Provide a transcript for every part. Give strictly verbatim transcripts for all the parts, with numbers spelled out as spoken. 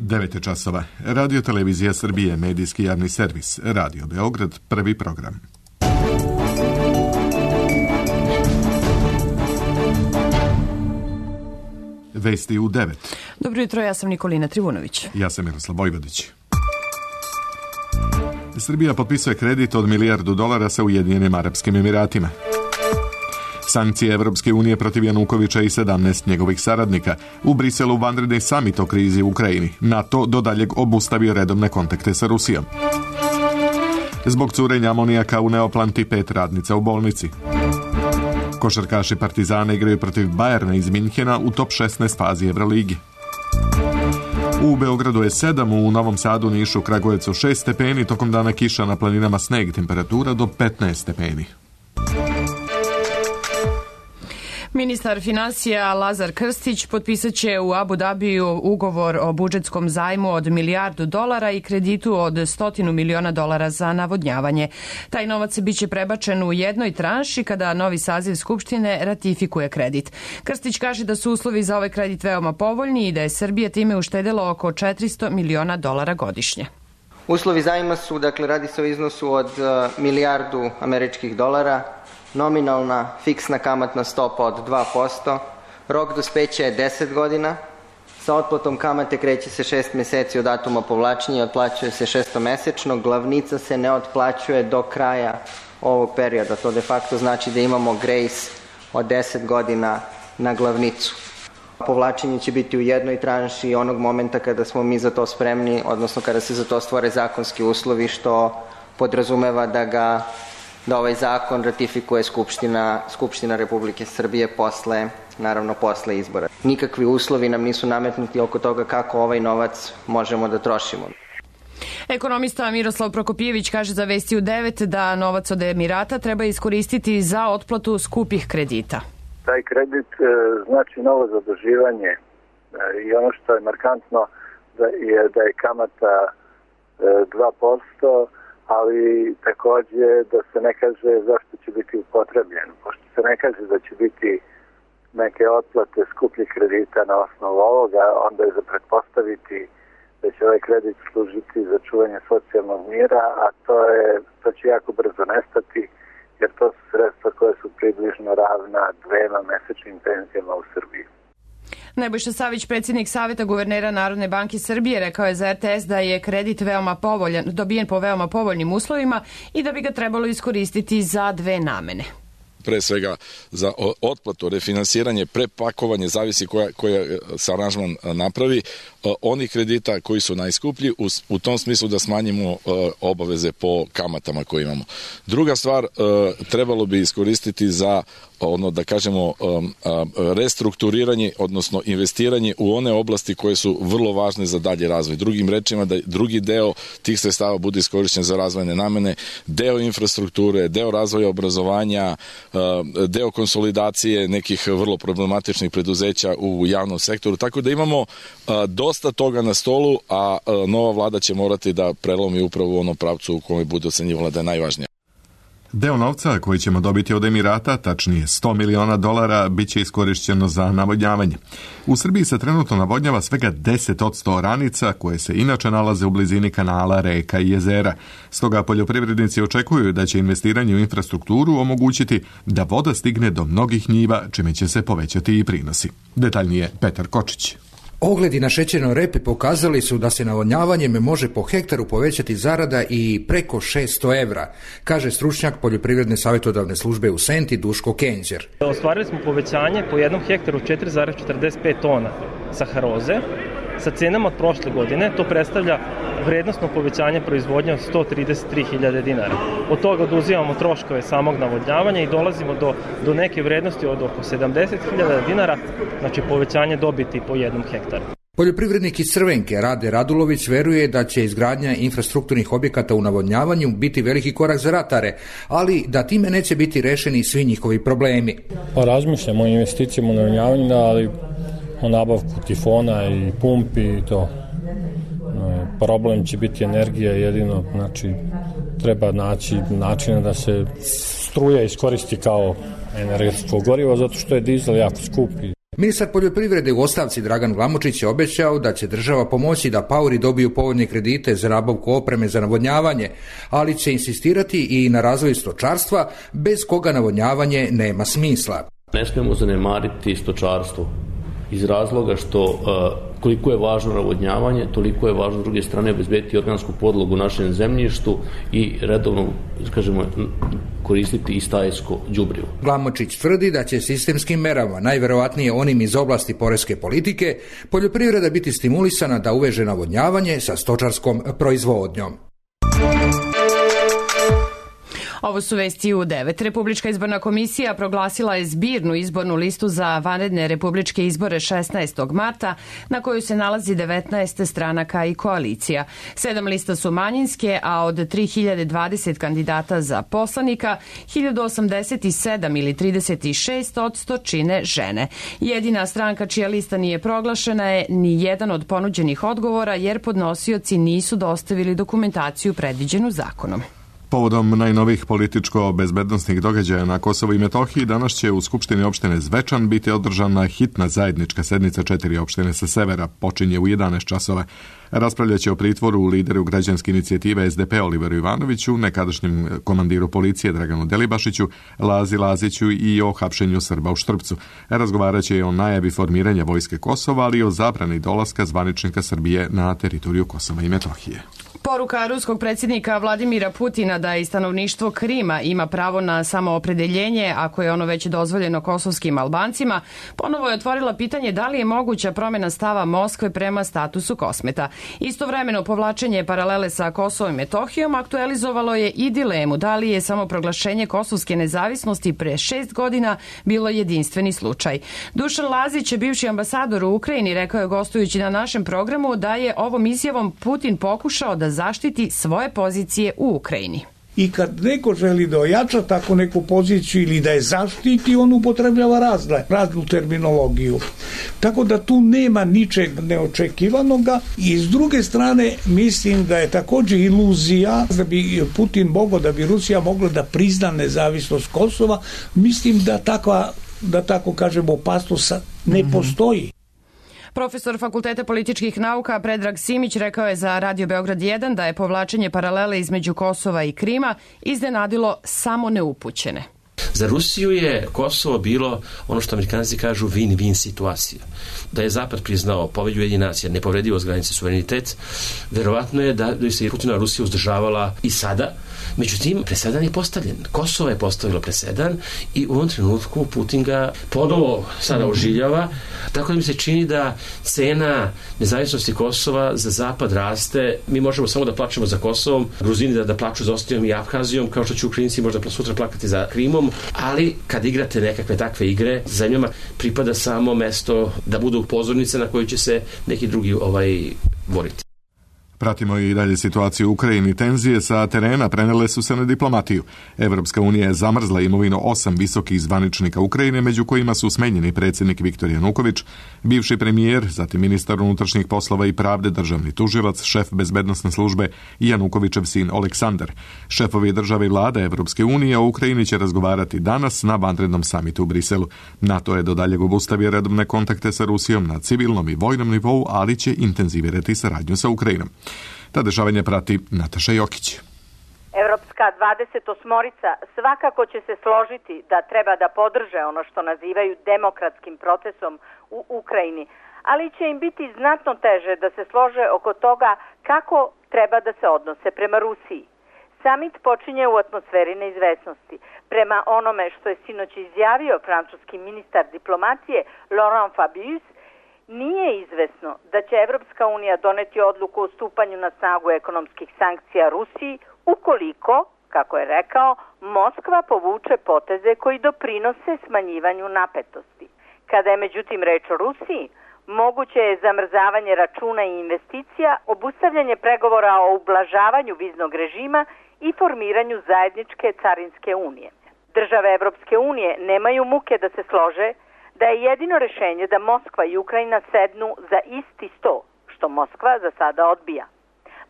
devet časova. Radio Televizija Srbije, medijski javni servis. Radio Beograd, prvi program. Vesti u devet. Dobro jutro, ja sam Nikolina Trivunović. Ja sam Miroslav Vojvodić. Srbija potpisuje kredit od milijardu dolara sa Ujedinjenim Arapskim Emiratima. Sankcije Evropske unije protiv Janukovića i sedamnaest njegovih saradnika. U Briselu vanredni samit o krizi u Ukrajini. NATO do daljeg obustavio redovne kontakte sa Rusijom. Zbog curenja amonijaka u Neoplanti pet radnica u bolnici. Košarkaši Partizana igraju protiv Bajerna iz Minhena u top šesnaest fazi Evroligi. U Beogradu je sedam, u Novom Sadu, Nišu, Kragujevcu šest stepeni, tokom dana kiša, na planinama sneg, temperatura do petnaest stepeni. Ministar finansija Lazar Krstić potpisat će u Abu Dabiju ugovor o budžetskom zajmu od milijardu dolara i kreditu od stotinu miliona dolara za navodnjavanje. Taj novac biće prebačen u jednoj tranši kada novi saziv Skupštine ratifikuje kredit. Krstić kaže da su uslovi za ovaj kredit veoma povoljni i da je Srbija time uštedela oko četiristo miliona dolara godišnje. Uslovi zajma su, dakle, radi se o iznosu od uh, milijardu američkih dolara, nominalna fiksna kamatna stopa od dva posto, rok dospeća je deset godina, sa otplatom kamate kreće se šest meseci od datuma povlačenja i otplaćuje se šestomesečno, glavnica se ne otplaćuje do kraja ovog perioda, to de facto znači da imamo grejs od deset godina na glavnicu. Povlačenje će biti u jednoj tranši onog momenta kada smo mi za to spremni, odnosno kada se za to stvore zakonski uslovi, što podrazumeva da ga da ovaj zakon ratifikuje Skupština, Skupština Republike Srbije posle, naravno posle izbora. Nikakvi uslovi nam nisu nametnuti oko toga kako ovaj novac možemo da trošimo. Ekonomista Miroslav Prokopijević kaže za Vesti u devet da novac od Emirata treba iskoristiti za otplatu skupih kredita. Taj kredit e, znači novo zaduživanje e, i ono što je markantno da je, da je kamata e, dva posto, ali takođe da se ne kaže zašto će biti upotrebljen. Pošto se ne kaže da će biti neke otplate skupljih kredita na osnovu ovoga, onda je za pretpostaviti da će ovaj kredit služiti za čuvanje socijalnog mira, a to, je, to će jako brzo nestati, jer to su sredstva koje su približno ravna dvema mesečnim penzijama u Srbiji. Nebojša Savić, predsjednik Saveta guvernera Narodne banke Srbije, rekao je za R T S da je kredit veoma povoljan, dobijen po veoma povoljnim uslovima i da bi ga trebalo iskoristiti za dve namene. Pre svega za otplatu, refinansiranje, prepakovanje, zavisi koja, koja se aranžman napravi, onih kredita koji su najskuplji, u, u tom smislu da smanjimo obaveze po kamatama koje imamo. Druga stvar, trebalo bi iskoristiti za ono da kažemo restrukturiranje, odnosno investiranje u one oblasti koje su vrlo važne za dalje razvoj. Drugim rečima, da drugi deo tih sredstava bude iskorišćen za razvojne namene, deo infrastrukture, deo razvoja obrazovanja, deo konsolidacije nekih vrlo problematičnih preduzeća u javnom sektoru, tako da imamo dosta toga na stolu, a nova vlada će morati da prelomi upravo u onom pravcu u kome bude ocenjivala da je najvažnija. Deo novca koji ćemo dobiti od Emirata, tačnije sto miliona dolara, bit će iskorišćeno za navodnjavanje. U Srbiji se trenutno navodnjava svega deset posto oranica koje se inače nalaze u blizini kanala, reka i jezera. Stoga poljoprivrednici očekuju da će investiranje u infrastrukturu omogućiti da voda stigne do mnogih njiva, čime će se povećati i prinosi. Detaljnije Petar Kočić. Ogledi na šećernoj repi pokazali su da se navodnjavanjem može po hektaru povećati zarada i preko šesto evra, kaže stručnjak Poljoprivredne savjetodavne službe u Senti Duško Kenđer. Ostvarili smo povećanje po jednom hektaru četiri zarez četrdeset pet tona saharoze sa cenama od prošle godine. To predstavlja vrednostno povećanje proizvodnje od sto trideset tri hiljade dinara. Od toga oduzimamo troškove samog navodnjavanja i dolazimo do, do neke vrednosti od oko sedamdeset hiljada dinara, znači povećanje dobiti po jednom hektaru. Poljoprivrednik iz Crvenke Rade Radulović veruje da će izgradnja infrastrukturnih objekata u navodnjavanju biti veliki korak za ratare, ali da time neće biti rešeni svi njihovi problemi. Pa razmišljamo o investicijama u navodnjavanju, ali o nabavku tifona i pumpi i to. Problem će biti energija, jedino, znači treba naći načina da se struja iskoristi kao energetsko gorivo, zato što je dizel jako skup. Ministar poljoprivrede u ostavci Dragan Glamočić je obećao da će država pomoći da paori dobiju povoljne kredite za nabavku opreme za navodnjavanje, ali će insistirati i na razvoju stočarstva, bez koga navodnjavanje nema smisla. Ne smijemo zanemariti stočarstvo iz razloga što uh, koliko je važno navodnjavanje, toliko je važno s druge strane obezbediti organsku podlogu u našem zemljištu i redovno, kažemo, koristiti i stajsko đubrivo. Glamočić tvrdi da će sistemskim merama, najverovatnije onim iz oblasti poreske politike, poljoprivreda biti stimulisana da uveže navodnjavanje sa stočarskom proizvodnjom. Ovo su vesti u devet. Republička izborna komisija proglasila je zbirnu izbornu listu za vanredne republičke izbore šesnaestog marta, na kojoj se nalazi devetnaest stranaka i koalicija. Sedam lista su manjinske, a od tri hiljade dvadeset kandidata za poslanika, hiljadu osamdeset sedam ili trideset šest odsto čine žene. Jedina stranka čija lista nije proglašena je ni jedan od ponuđenih odgovora, jer podnosioci nisu dostavili dokumentaciju predviđenu zakonom. Povodom najnovih političko-bezbednostnih događaja na Kosovu i Metohiji, danas će u Skupštini opštine Zvečan biti održana hitna zajednička sednica četiri opštine sa severa, počinje u jedanaest časova. Raspravljaće o pritvoru u lideru građanske inicijative S D P Oliveru Ivanoviću, nekadašnjem komandiru policije Draganu Delibašiću, Lazi Laziću i o hapšenju Srba u Štrpcu. Razgovaraće o najavi formiranja vojske Kosova, ali i o zabrani dolaska zvaničnika Srbije na teritoriju Kosova i Metohije. Poruka ruskog predsjednika Vladimira Putina da i stanovništvo Krima ima pravo na samoopredeljenje, ako je ono već dozvoljeno kosovskim Albancima, ponovo je otvorila pitanje da li je moguća promjena stava Moskve prema statusu Kosmeta. Istovremeno povlačenje paralele sa Kosovom i Metohijom aktualizovalo je i dilemu da li je samo proglašenje kosovske nezavisnosti pre šest godina bilo jedinstveni slučaj. Dušan Lazić, bivši ambasador u Ukrajini, rekao je gostujući na našem programu da je ovom izjavom Putin pokušao da zaštiti svoje pozicije u Ukrajini. I kad neko želi da ojača tako neku poziciju ili da je zaštiti, on upotrebljava razne, raznu terminologiju. Tako da tu nema ničeg neočekivanoga i s druge strane mislim da je također iluzija da bi Putin mogao, da bi Rusija mogla da prizna nezavisnost Kosova. Mislim da takva, da tako kažemo, opasnost ne postoji. Profesor Fakulteta političkih nauka Predrag Simić rekao je za Radio Beograd jedan da je povlačenje paralele između Kosova i Krima iznenadilo samo neupućene. Za Rusiju je Kosovo bilo ono što Amerikanci kažu win-win situacija. Da je Zapad priznao Povelju Ujedinjenih nacija, nepovredivost granice, suverenitet, verovatno je da bi se Putina Rusija uzdržavala i sada. Međutim, presedan je postavljen. Kosovo je postavilo presedan i u ovom trenutku Putin ga ponovo sada ožiljava, tako da mi se čini da cena nezavisnosti Kosova za Zapad raste. Mi možemo samo da plačemo za Kosovom, Gruzini da, da plaču za Osijom i Abhazijom, kao što će Ukrajinci možda sutra plakati za Krimom, ali kad igrate nekakve takve igre, zemljama pripada samo mesto da budu pozornice na koju će se neki drugi ovaj boriti. Pratimo i dalje situaciju u Ukrajini. Tenzije sa terena prenele su se na diplomatiju. Evropska unija je zamrzla imovinu osam visokih zvaničnika Ukrajine, među kojima su smenjeni predsjednik Viktor Januković, bivši premijer, zatim ministar unutrašnjih poslova i pravde, državni tužilac, šef bezbednosne službe i Janukovićev sin Oleksandar. Šefovi države i vlade Evropske unije o Ukrajini će razgovarati danas na vanrednom samitu u Briselu. NATO je do daljeg obustavio redovne kontakte sa Rusijom na civilnom i vojnom nivou, ali će intenzivirati saradnju sa Ukrajinom. Ta dešavanje prati Nataša Jokić. Evropska dvadesetosmorica svakako će se složiti da treba da podrže ono što nazivaju demokratskim procesom u Ukrajini, ali će im biti znatno teže da se slože oko toga kako treba da se odnose prema Rusiji. Samit počinje u atmosferi neizvesnosti. Prema onome što je sinoć izjavio francuski ministar diplomacije Laurent Fabius, nije izvesno da će Evropska unija doneti odluku o stupanju na snagu ekonomskih sankcija Rusiji ukoliko, kako je rekao, Moskva povuče poteze koji doprinose smanjivanju napetosti. Kada je međutim reč o Rusiji, moguće je zamrzavanje računa i investicija, obustavljanje pregovora o ublažavanju viznog režima i formiranju zajedničke carinske unije. Države Evropske unije nemaju muke da se slože da je jedino rješenje da Moskva i Ukrajina sednu za isti sto, što Moskva za sada odbija.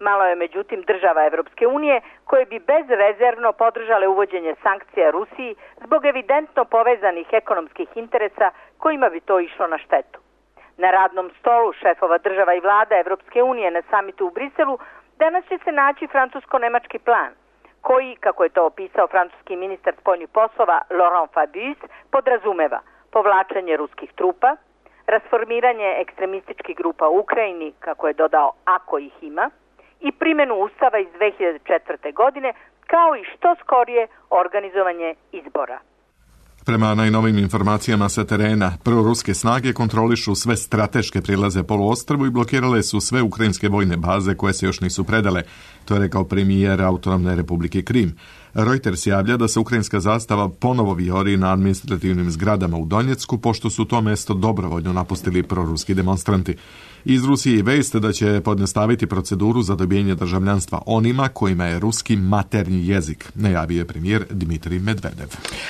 Malo je međutim država Evropske unije koje bi bezrezervno podržale uvođenje sankcija Rusiji zbog evidentno povezanih ekonomskih interesa kojima bi to išlo na štetu. Na radnom stolu šefova država i vlada Evropske unije na samitu u Briselu danas će se naći francusko-nemački plan, koji, kako je to opisao francuski ministar spoljnih poslova Laurent Fabius, podrazumeva povlačenje ruskih trupa, rasformiranje ekstremističkih grupa u Ukrajini, kako je dodao, ako ih ima, i primjenu Ustava iz dve hiljade četvrte. godine, kao i što skorije organizovanje izbora. Prema najnovim informacijama sa terena, proruske snage kontrolišu sve strateške prilaze poluostrvu i blokirale su sve ukrajinske vojne baze koje se još nisu predale. To je rekao premijer Autonomne republike Krim. Reuters javlja da se ukrajinska zastava ponovo vijori na administrativnim zgradama u Donjecku, pošto su to mesto dobrovoljno napustili proruski demonstranti. Iz Rusije i vest da će podnastaviti proceduru za dobijenje državljanstva onima kojima je ruski maternji jezik, najavio je premijer Dmitrij Medvedev.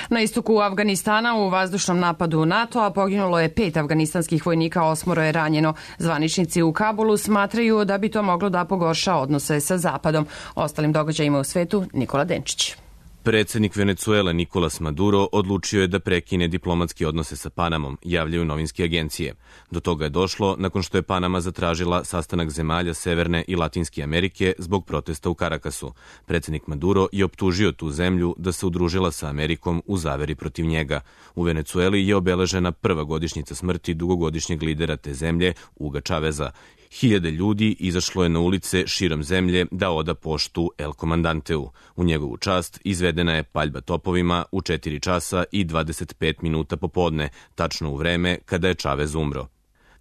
Na istoku Afganistana u vazdušnom napadu NATO-a poginulo je pet afganistanskih vojnika, osmoro je ranjeno. Zvaničnici u Kabulu smatraju da bi to moglo da pogorša odnose sa Zapadom. Ostalim događajima u svetu, Nikola Denčić. Predsednik Venecuele Nicolas Maduro odlučio je da prekine diplomatske odnose sa Panamom, javljaju novinske agencije. Do toga je došlo nakon što je Panama zatražila sastanak zemalja Severne i Latinske Amerike zbog protesta u Karakasu. Predsednik Maduro je optužio tu zemlju da se udružila sa Amerikom u zaveri protiv njega. U Venecueli je obeležena prva godišnjica smrti dugogodišnjeg lidera te zemlje, Huga Chaveza. Hiljade ljudi izašlo je na ulice širom zemlje da oda poštu El Comandanteu. U njegovu čast izvedena je paljba topovima u četiri časa i dvadeset pet minuta popodne, tačno u vreme kada je Chavez umro.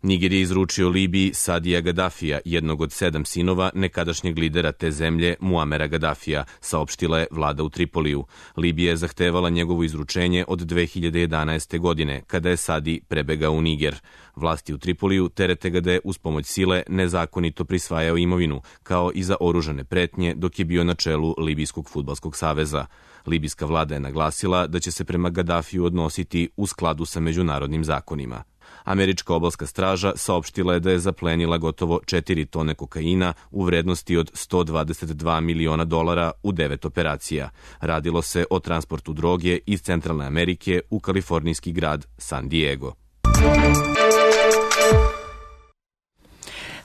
Niger je izručio Libiji Sadija Gaddafija, jednog od sedam sinova nekadašnjeg lidera te zemlje Muamera Gaddafija, saopštila je vlada u Tripoliju. Libija je zahtevala njegovo izručenje od dve hiljade jedanaeste. godine, kada je Sadi prebegao u Niger. Vlasti u Tripoliju terete ga da je uz pomoć sile nezakonito prisvajao imovinu, kao i za oružane pretnje dok je bio na čelu Libijskog fudbalskog saveza. Libijska vlada je naglasila da će se prema Gaddafiju odnositi u skladu sa međunarodnim zakonima. Američka obalska straža saopštila je da je zaplenila gotovo četiri tone kokaina u vrednosti od sto dvadeset dva miliona dolara u devet operacija. Radilo se o transportu droge iz Centralne Amerike u kalifornijski grad San Diego.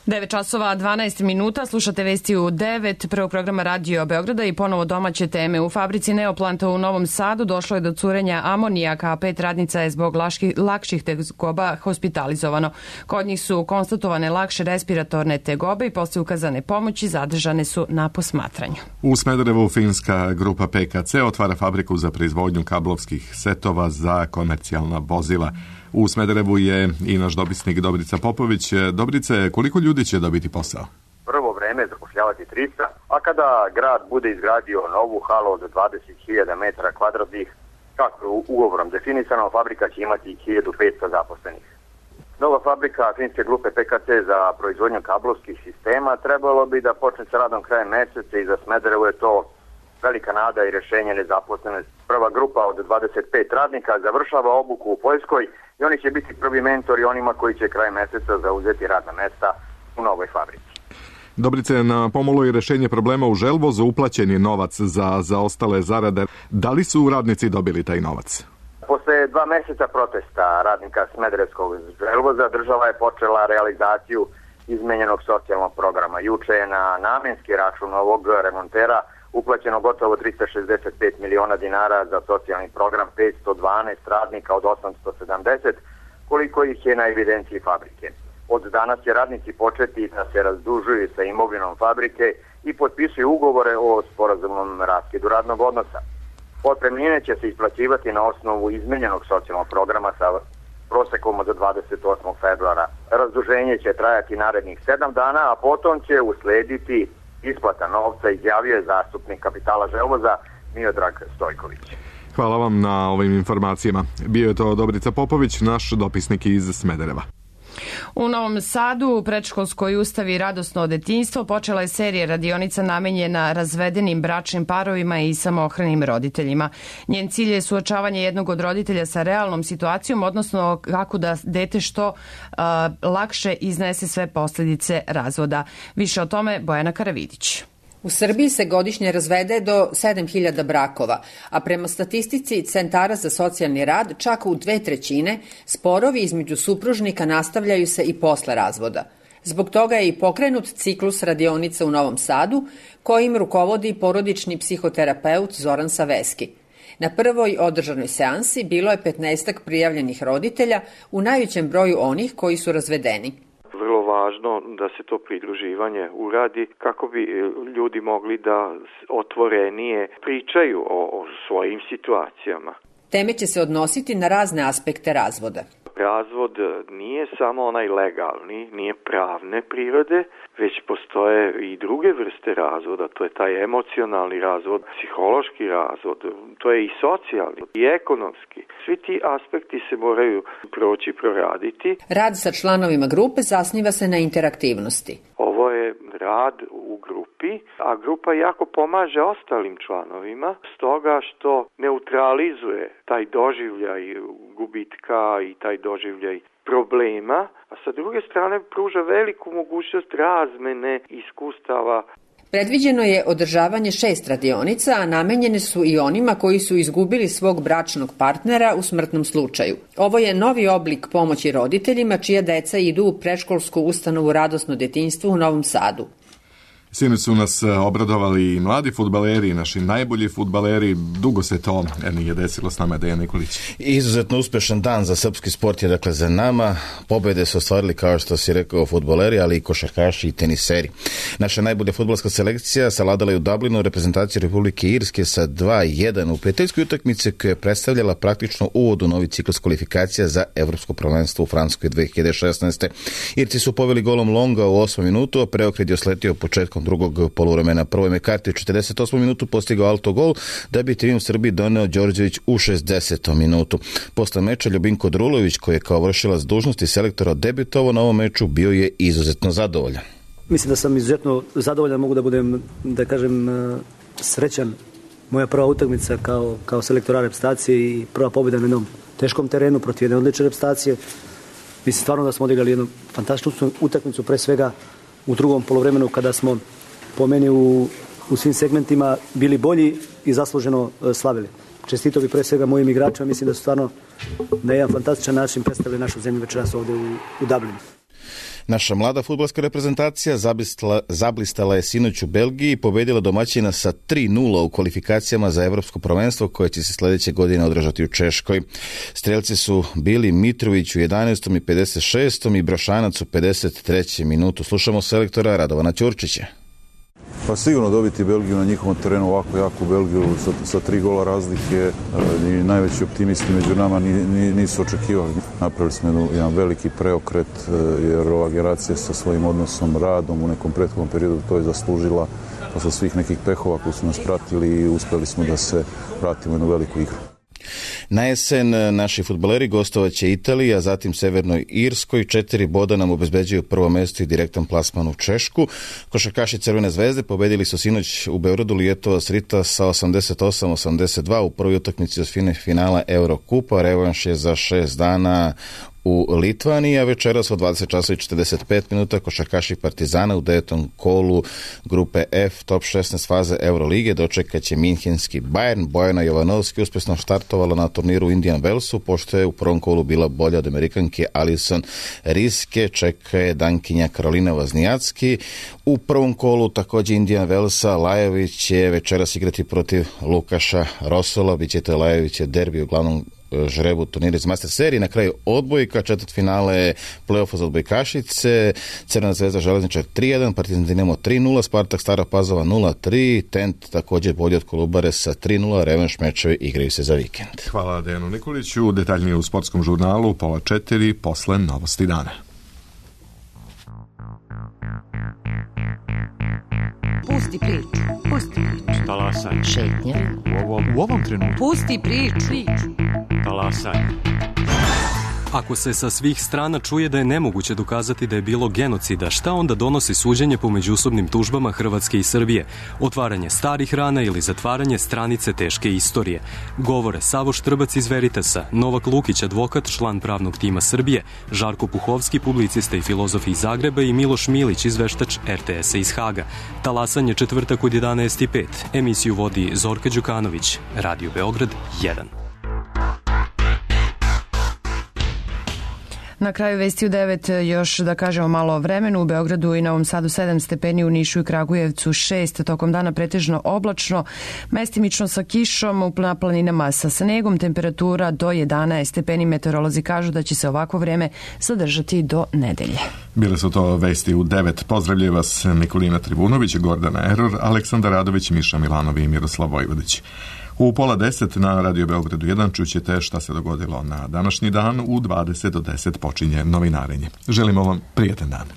devet časova dvanaest minuta, slušate vesti u devet, prvog programa Radio Beograda i ponovo domaće teme. U fabrici Neoplanta u Novom Sadu došlo je do curenja amonijaka, a pet radnica je zbog laški, lakših tegoba hospitalizovano. Kod njih su konstatovane lakše respiratorne tegobe i posle ukazane pomoći zadržane su na posmatranju. U Smederevu finska grupa P K C otvara fabriku za proizvodnju kablovskih setova za komercijalna vozila. U Smederevu je i naš dopisnik Dobrica Popović. Dobrice, koliko ljudi će dobiti posao? Prvo vreme zapošljavati tristo, a kada grad bude izgradio novu halu od dvadeset hiljada metara kvadratnih, kako je ugovorom definisano, fabrika će imati hiljadu petsto zaposlenih. Nova fabrika finske grupe P K C za proizvodnju kablovskih sistema trebalo bi da počne sa radom krajem meseca i za Smederevu je to velika nada i rešenje nezaposlenosti. Prva grupa od dvadeset pet radnika završava obuku u Poljskoj i oni će biti prvi mentori onima koji će kraj meseca zauzeti radna mesta u novoj fabrici. Dobrice, na pomolu i rešenje problema u Želvozu uplaćen je novac za, za ostale zarade. Da li su radnici dobili taj novac? Posle dva meseca protesta radnika Smederevskog Želvoza država je počela realizaciju izmenjenog socijalnog programa. Juče je na namenski račun ovog remontera uplaćeno gotovo tristo šezdeset pet miliona dinara za socijalni program petsto dvanaest radnika od osamsto sedamdeset, koliko ih je na evidenciji fabrike. Od danas će radnici početi da se razdužuju sa imovinom fabrike i potpisuju ugovore o sporazumnom raskidu radnog odnosa. Otpremnine će se isplaćivati na osnovu izmenjenog socijalnog programa sa prosekom od dvadeset osmog februara. Razduženje će trajati narednih sedam dana, a potom će uslediti isplata novca, izjavio je zastupnik kapitala Želvoza Miodrag Stojković. Hvala vam na ovim informacijama. Bio je to Dobrica Popović, naš dopisnik iz Smedereva. U Novom Sadu u predškolskoj ustavi Radosno detinjstvo počela je serija radionica namenjena razvedenim bračnim parovima i samohranim roditeljima. Njen cilj je suočavanje jednog od roditelja sa realnom situacijom, odnosno kako da dete što uh, lakše iznese sve posljedice razvoda. Više o tome Bojana Karavidić. U Srbiji se godišnje razvede do sedam hiljada brakova, a prema statistici Centara za socijalni rad čak u dve trećine sporovi između supružnika nastavljaju se i posle razvoda. Zbog toga je i pokrenut ciklus radionica u Novom Sadu, kojim rukovodi porodični psihoterapeut Zoran Saveski. Na prvoj održanoj seansi bilo je petnaestak prijavljenih roditelja, u najvećem broju onih koji su razvedeni. Vrlo važno da se to pridruživanje uradi kako bi ljudi mogli da otvorenije pričaju o, o svojim situacijama. Teme će se odnositi na razne aspekte razvoda. Razvod nije samo onaj legalni, nije pravne prirode, već postoje i druge vrste razvoda, to je taj emocionalni razvod, psihološki razvod, to je i socijalni i ekonomski. Svi ti aspekti se moraju proći, proraditi. Rad sa članovima grupe zasniva se na interaktivnosti. Ovo je rad u grupi, a grupa jako pomaže ostalim članovima, stoga što neutralizuje taj doživljaj gubitka i taj doživljaj problema, a sa druge strane pruža veliku mogućnost razmene iskustava. Predviđeno je održavanje šest radionica, a namenjene su i onima koji su izgubili svog bračnog partnera u smrtnom slučaju. Ovo je novi oblik pomoći roditeljima čija deca idu u predškolsku ustanovu Radosno detinjstvo u Novom Sadu. Sinoć su nas obradovali i mladi fudbaleri i naši najbolji fudbaleri. Dugo se to nije desilo s nama, Dejan Nikolić. Izuzetno uspešan dan za srpski sport je dakle za nama. Pobede su ostvarili, kao što si rekao, fudbaleri, ali i košarkaši i teniseri. Naša najbolja fudbalska selekcija savladala je u Dublinu reprezentaciju Republike Irske sa dva jedan u prijateljskoj utakmici koja je predstavljala praktično uvod u novi ciklus kvalifikacija za evropsko prvenstvo u Francuskoj dve hiljade šesnaeste. Irci su poveli golom Longa u osmom minutu, a preokret je osletio početkom drugog poluvremena. Prvo je Mekarti u četrdeset osmom minutu postigao autogol, da bi trim Srbiji doneo Đorđević u šezdesetom minutu. Posle meča Ljubinko Drulović, koji je kao vršilac dužnosti selektora debitovao na ovom meču, bio je izuzetno zadovoljan. Mislim da sam izuzetno zadovoljan, mogu da budem, da kažem, srećan. Moja prva utakmica kao, kao selektora reprezentacije i prva pobjeda na jednom teškom terenu protiv jedne odlične reprezentacije. Mislim stvarno da smo odigrali jednu fantastičnu utakmicu, pre svega u drugom poluvremenu kada smo po meni u, u svim segmentima bili bolji i zasluženo slavili. Čestito bi pre svega mojim igračima, mislim da su stvarno na jedan fantastičan način predstavili našu zemlju večeras ovde u, u Dublinu. Naša mlada fudbalska reprezentacija zablistala, zablistala je sinoć u Belgiji i pobedila domaćina sa tri nula u kvalifikacijama za evropsko prvenstvo koje će se sledeće godine održati u Češkoj. Strelci su bili Mitrović u jedanaestom i pedeset šestom i Brošanac u pedeset trećem minutu. Slušamo selektora Radovana Ćurčića. Pa sigurno dobiti Belgiju na njihovom terenu, ovako jaku Belgiju sa, sa tri gola razlike, i najveći optimisti među nama nisu očekivali. Napravili smo jedan veliki preokret, jer ova generacija sa svojim odnosom, radom u nekom prethodnom periodu to je zaslužila, posle svih nekih pehova koji su nas pratili i uspeli smo da se vratimo u jednu veliku igru. Na jesen naši fudbaleri gostovaće Italiji, a zatim Severnoj Irskoj. Četiri boda nam obezbeđuju prvo mesto i direktan plasman u Češku. Košarkaši Crvene zvezde pobedili su sinoć u Beogradu Lijetovac Rita sa osamdeset osam osamdeset dva u prvoj utakmici osmine finala Eurokupa. Revanš je za šest dana u Litvaniji, a večeras od dvadeset časova i četrdeset pet minuta košarkaši Partizana u devetom kolu grupe F top šesnaest faze Eurolige dočekaće minhenski Bayern. Bojana Jovanovski uspešno štartovala na turniru u Indian Wellsu, pošto je u prvom kolu bila bolja od Amerikanke Alison Riske, čeka je Dankinja Karolina Vaznijacki. U prvom kolu takođe Indian Wellsa Lajević će večeras igrati protiv Lukaša Rosola, bit će to Lajević derbi u glavnom žrebu turnira iz Master serije. Na kraju odbojka, četvrt finale play-offa za odbojkašice, Crvena zvezda Železničar tri jedan, Partizan Dinamo tri nula, Spartak Stara Pazova nula tri, Tent također bolji od Kolubare sa tri nula, revanš mečevi igraju se za vikend. Hvala Dejanu Nikoliću, detaljnije u sportskom žurnalu pola četiri posle novosti dana. Pusti priču, pusti priču. Talasaj. Šetnja. U ovom, u ovom trenutku. Pusti priču. Talasaj. Ako se sa svih strana čuje da je nemoguće dokazati da je bilo genocida, šta onda donosi suđenje po međusobnim tužbama Hrvatske i Srbije? Otvaranje starih rana ili zatvaranje stranice teške istorije? Govore Savo Štrbac iz Veritasa, Novak Lukić, advokat, član pravnog tima Srbije, Žarko Puhovski, publicista i filozof iz Zagreba i Miloš Milić, izveštač er te esa iz Haga. Talasanje četvrtak od jedanaest i pet. Emisiju vodi Zorka Đukanović. Radio Beograd jedan. Na kraju vesti u devet još da kažemo malo o vremenu. U Beogradu i Novom Sadu sedam stepeni, u Nišu i Kragujevcu šest, tokom dana pretežno oblačno, mestimično sa kišom, u planinama sa snegom, temperatura do jedanaest stepeni. Meteorolozi kažu da će se ovakvo vreme zadržati do nedelje. Bile su to vesti u devet. Pozdravljaju vas Nikolina Tribunović, Gordana Eror, Aleksandar Radović, Miša Milanov i Miroslav Vojvodić. U pola deset na Radio Beogradu jedan čućete šta se dogodilo na današnji dan. U dvadeset do deset počinje novinarenje. Želimo vam prijatan dan.